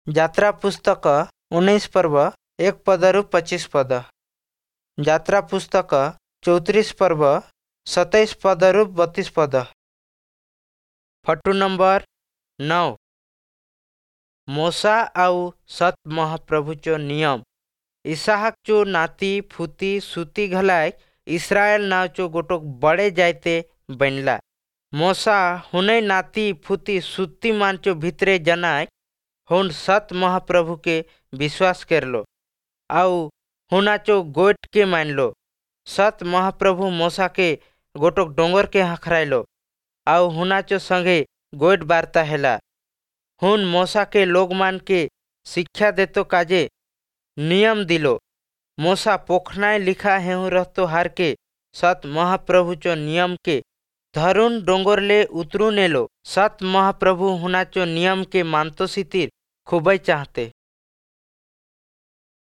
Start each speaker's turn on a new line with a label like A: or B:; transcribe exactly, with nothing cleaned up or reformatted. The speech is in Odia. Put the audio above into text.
A: ଯାତ୍ରା ପୁସ୍ତକ ଉଣେଇଶ ପର୍ବ ଏକ ପଦରୁ ପଚିଶ ପଦ। ଯାତ୍ରା ପୁସ୍ତକ ଚଉତିରିଶ ପର୍ବ ସତେଇଶ ପଦରୁ ବତିଶ ପଦ। ଫଟୋ ନମ୍ବର ନଅ। ମୋଶା ଆଉ ସତ୍ ମହାପ୍ରଭୁଚୋ ନିୟମ। ଇସାହକଚୋ ନାତି ଫୁତି ସୁତି ଘଲାଏ ଇସ୍ରାଏଲ ନାଁଚୋ ଗୋଟୋକ ବଡ଼େ ଜାଇତେ ବନଲା। ମୋଶା ହୁନೈ ନାତି ଫୁତି ସୁତିମାନଚୋ ଭିତରେ ଜନାଏ ହୁନ୍ ସତ୍ ମହାପ୍ରଭୁକେ ବିଶ୍ୱାସ କରଲୋ ଆଉ ହୁନାଚୋ ଗୋଏଟକେ ମାନଲୋ। ସତ୍ ମହାପ୍ରଭୁ ମୋଶାକେ ଗୋଟୋକ ଡୋଙ୍ଗରକେ ହଖରାଇଲୋ ଆଉ ହୁନାଚୋ ସଙ୍ଗେ ଗୋଏଟ ବାର୍ତ୍ତା ହେଲା। ହୁନ୍ ମୋଶାକେ ଲୋକମାନକେ ଶିକ୍ଷା ଦେତୋ କାଜେ ନିୟମ ଦିଲୋ। ମୋଶା ପୋଖନାଏ ଲିଖା ହେହୁଁ ରହତୋ ହାରକେ ସତ୍ ମହାପ୍ରଭୁଚୋ ନିୟମକେ ଧରୁନ୍ ଡୋଙ୍ଗରଲେ ଉତରୁନ୍ ଏଲୋ। ସତ୍ ମହାପ୍ରଭୁ ହୁନାଚୋ ନିୟମକେ ମାନତୋ ସିତିର ଖୁବଇ ଚାହତେ।